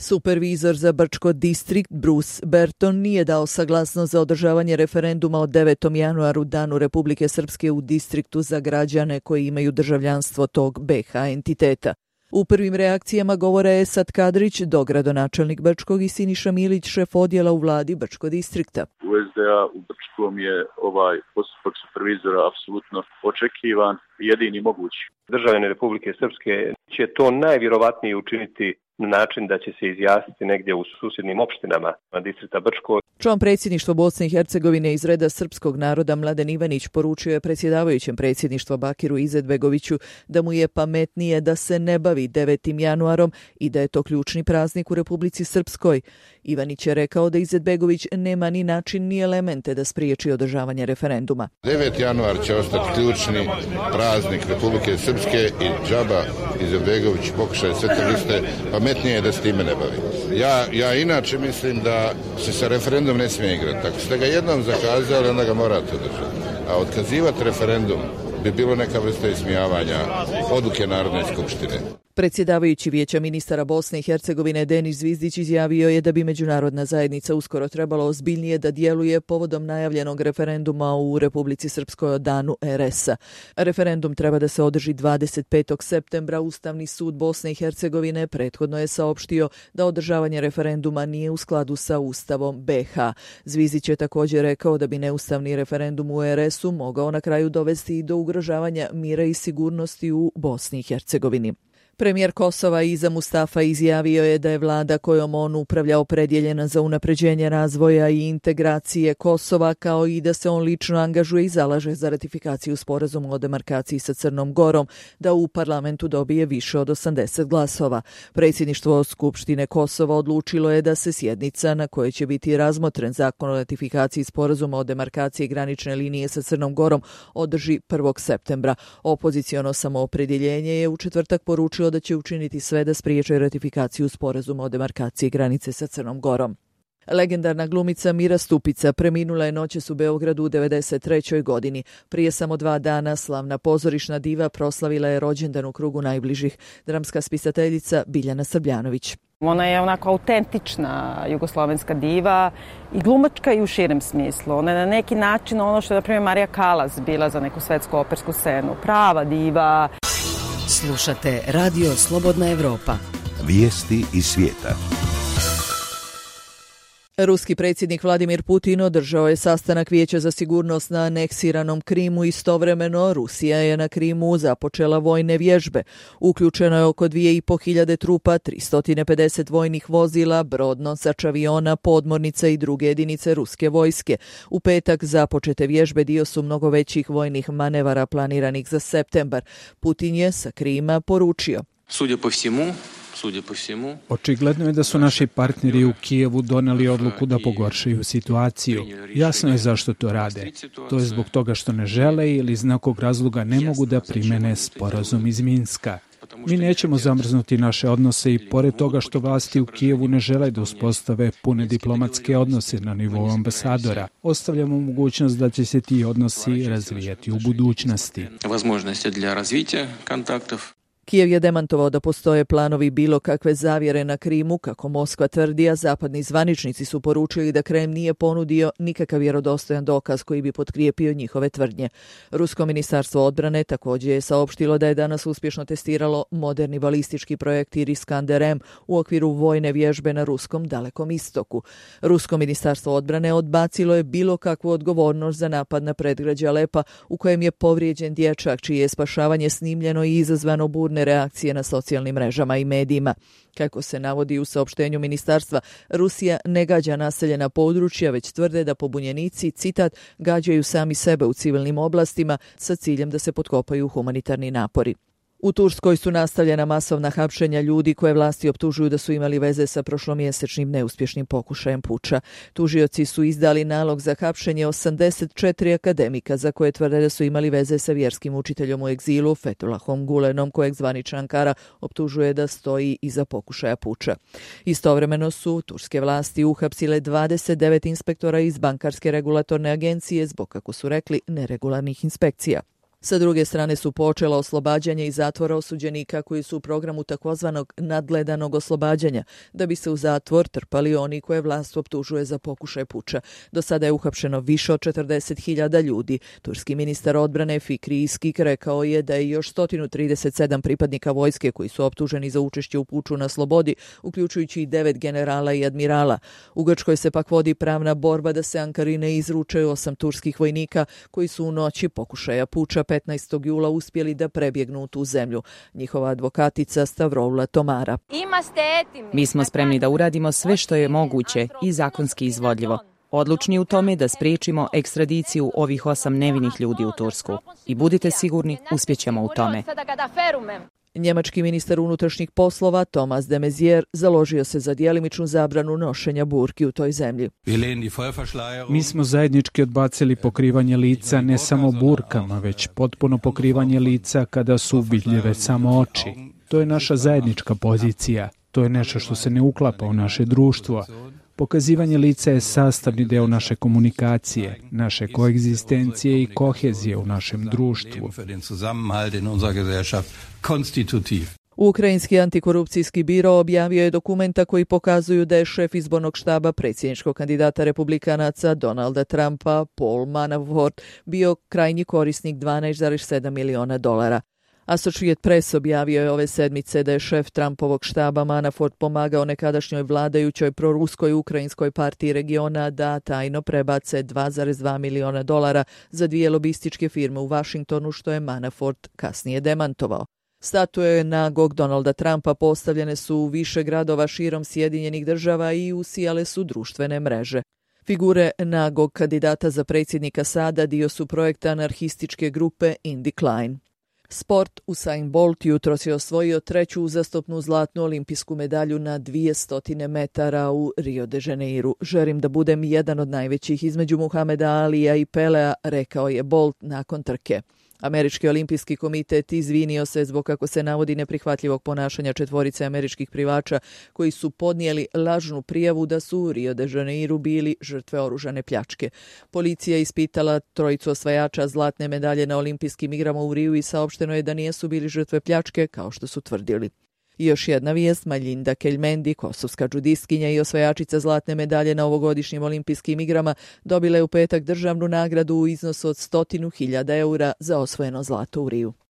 Supervizor za Brčko distrikt Bruce Berton nije dao saglasnost za održavanje referenduma o 9. januaru, danu Republike Srpske u distriktu za građane koji imaju državljanstvo tog BiH entiteta. U prvim reakcijama govore Esad Kadrić, dogradonačelnik Brčkog, i Siniša Milić, šef odjela u vladi Brčko distrikta. U SDA u Brčkom je ovaj postupak supervizora apsolutno očekivan i jedini mogući. Državljani Republike Srpske će to najvjerovatnije učiniti na način da će se izjasniti negdje u susjednim opštinama distrikta Brčko. Član predsjedništva Bosne i Hercegovine iz reda srpskog naroda Mladen Ivanić poručio je predsjedavajućem predsjedništva Bakiru Izetbegoviću da mu je pametnije da se ne bavi 9. januarom i da je to ključni praznik u Republici Srpskoj. Ivanić je rekao da Izetbegović nema ni način ni elemente da spriječi održavanje referenduma. 9. januar će ostati ključni praznik Republike Srpske i džaba Izetbegović pokušaje sve te liste, pametnije je da s time ne bavi. Ja inače mislim da se sa referendum ne smije igrati. Ako ste ga jednom zakazali, onda ga morate održati. A otkazivati referendum bi bilo neka vrsta ismijavanja odluke Narodne skupštine. Predsjedavajući Vijeća ministara Bosne i Hercegovine Denis Zvizdić izjavio je da bi međunarodna zajednica uskoro trebalo ozbiljnije da djeluje povodom najavljenog referenduma u Republici Srpskoj o danu RS-a. Referendum treba da se održi 25. septembra. Ustavni sud Bosne i Hercegovine prethodno je saopštio da održavanje referenduma nije u skladu sa Ustavom BiH. Zvizdić je također rekao da bi neustavni referendum u RS-u mogao na kraju dovesti i do ugrožavanja mira i sigurnosti u Bosni i Hercegovini. Premijer Kosova Iza Mustafa izjavio je da je vlada kojom on upravlja opredjeljena za unapređenje razvoja i integracije Kosova, kao i da se on lično angažuje i zalaže za ratifikaciju sporazuma o demarkaciji sa Crnom Gorom, da u parlamentu dobije više od 80 glasova. Predsjedništvo Skupštine Kosova odlučilo je da se sjednica na kojoj će biti razmotren zakon o ratifikaciji sporazuma o demarkaciji granične linije sa Crnom Gorom održi 1. septembra. Opoziciono samoopredjeljenje je u četvrtak poručilo da će učiniti sve da spriječe ratifikaciju sporazuma o demarkaciji granice sa Crnom Gorom. Legendarna glumica Mira Stupica preminula je noćas u Beogradu u 93. godini. Prije samo 2 dana slavna pozorišna diva proslavila je rođendan u krugu najbližih. Dramska spisateljica Biljana Srbljanović. Ona je onako autentična jugoslovenska diva i glumačka i u širem smislu. Ona je na neki način ono što je, na primjer, Marija Kalas bila za neku svetsku opersku scenu. Prava diva. Slušate Radio Slobodna Evropa. Vijesti iz svijeta. Ruski predsjednik Vladimir Putin održao je sastanak Vijeća za sigurnost na aneksiranom Krimu. Istovremeno Rusija je na Krimu započela vojne vježbe. Uključeno je oko 2500 trupa, 350 vojnih vozila, brodnosač, aviona, podmornica i druge jedinice ruske vojske. U petak započete vježbe dio su mnogo većih vojnih manevara planiranih za septembar. Putin je sa Krima poručio: Očigledno je da su naši partneri u Kijevu doneli odluku da pogoršaju situaciju. Jasno je zašto to rade. To je zbog toga što ne žele ili iz nekog razloga ne mogu da primene sporazum iz Minska. Mi nećemo zamrznuti naše odnose i pored toga što vlasti u Kijevu ne žele da uspostave pune diplomatske odnose na nivou ambasadora, ostavljamo mogućnost da će se ti odnosi razvijati u budućnosti. Kijev je demantovao da postoje planovi bilo kakve zavjere na Krimu, kako Moskva tvrdi, a zapadni zvaničnici su poručili da Kreml nije ponudio nikakav vjerodostojan dokaz koji bi potkrijepio njihove tvrdnje. Rusko ministarstvo odbrane također je saopštilo da je danas uspješno testiralo moderni balistički projekt Iskander-M u okviru vojne vježbe na ruskom Dalekom istoku. Rusko ministarstvo odbrane odbacilo je bilo kakvu odgovornost za napad na predgrađe Alepa u kojem je povrijeđen dječak, čije je spašavanje snimljeno i izazvano burne reakcije na socijalnim mrežama i medijima. Kako se navodi u saopštenju ministarstva, Rusija ne gađa naseljena područja, već tvrde da pobunjenici, citat, gađaju sami sebe u civilnim oblastima sa ciljem da se potkopaju humanitarni napori. U Turskoj su nastavljena masovna hapšenja ljudi koje vlasti optužuju da su imali veze sa prošlomjesečnim neuspješnim pokušajem puča. Tužioci su izdali nalog za hapšenje 84 akademika za koje tvrde da su imali veze sa vjerskim učiteljom u egzilu Fethullahom Gulenom, kojeg zvanična Ankara optužuje da stoji iza pokušaja puča. Istovremeno su turske vlasti uhapsile 29 inspektora iz bankarske regulatorne agencije zbog, kako su rekli, neregularnih inspekcija. Sa druge strane su počela oslobađanje iz zatvora osuđenika koji su u programu takozvanog nadgledanog oslobađanja, da bi se u zatvor trpali oni koje vlast optužuje za pokušaj puča. Do sada je uhapšeno više od 40.000 ljudi. Turski ministar odbrane Fikri Iskik rekao je da je još 137 pripadnika vojske koji su optuženi za učešće u puču na slobodi, uključujući i 9 generala i admirala. U Grčkoj se pak vodi pravna borba da se Ankari ne izruče 8 turskih vojnika koji su u noći pokušaja puča 15. jula uspjeli da prebjegnu u tu zemlju. Njihova advokatica Stavroula Tomara. Mi smo spremni da uradimo sve što je moguće i zakonski izvodljivo. Odlučni u tome da spriječimo ekstradiciju ovih 8 nevinih ljudi u Tursku. I budite sigurni, uspjećemo u tome. Njemački ministar unutrašnjih poslova Thomas de Maizière založio se za djelimičnu zabranu nošenja burki u toj zemlji. Mi smo zajednički odbacili pokrivanje lica ne samo burkama, već potpuno pokrivanje lica kada su vidljive samo oči. To je naša zajednička pozicija. To je nešto što se ne uklapa u naše društvo. Pokazivanje lica je sastavni deo naše komunikacije, naše koegzistencije i kohezije u našem društvu. Ukrajinski antikorupcijski biro objavio je dokumenta koji pokazuju da je šef izbornog štaba predsjedničkog kandidata republikanaca Donalda Trumpa, Paul Manafort, bio krajnji korisnik $12,7 miliona. Associated Press objavio je ove sedmice da je šef Trumpovog štaba Manafort pomagao nekadašnjoj vladajućoj proruskoj ukrajinskoj partiji regiona da tajno prebace $2,2 miliona za 2 lobističke firme u Washingtonu, što je Manafort kasnije demantovao. Statue nagog Donalda Trumpa postavljene su u više gradova širom Sjedinjenih država i usijale su društvene mreže. Figure nagog kandidata za predsjednika sada dio su projekta anarhističke grupe In Decline. Sport. Usain Bolt jutros je osvojio 3. uzastopnu zlatnu olimpijsku medalju na 200 metara u Rio de Janeiru. Želim da budem jedan od najvećih između Muhameda Alija i Pelea, rekao je Bolt nakon trke. Američki olimpijski komitet izvinio se zbog, kako se navodi, neprihvatljivog ponašanja 4 američkih plivača koji su podnijeli lažnu prijavu da su u Rio de Janeiru bili žrtve oružane pljačke. Policija ispitala 3 osvajača zlatne medalje na olimpijskim igrama u Riju i saopšteno je da nisu bili žrtve pljačke kao što su tvrdili. I još jedna vijest, Maljinda Keljmendi, kosovska džudistkinja i osvajačica zlatne medalje na ovogodišnjim olimpijskim igrama, dobila je u petak državnu nagradu u iznosu od 100.000 eura za osvojeno zlato u Riju.